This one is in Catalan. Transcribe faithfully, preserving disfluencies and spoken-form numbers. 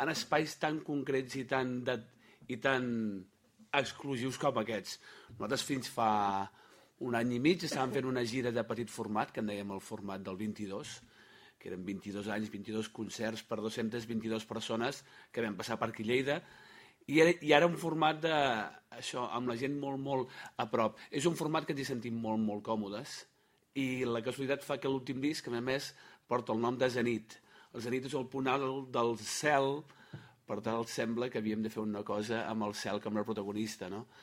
en espais tan concrets i tan, de, i tan exclusius com aquests. Nosaltres fins fa un any i mig estàvem fent una gira de petit format, que en dèiem el format del vint-i-dos, que eren vint-i-dos anys, vint-i-dos concerts per dues-centes vint-i-dues persones que vam passar per aquí a Lleida, i era, i era un format de, això, amb la gent molt, molt a prop. És un format que ens hi sentim molt, molt còmodes, i la casualitat fa que l'últim disc, a més, porta el nom de Zenit. El Zenit és el punt alt del cel, per tant, sembla que havíem de fer una cosa amb el cel com a protagonista, no?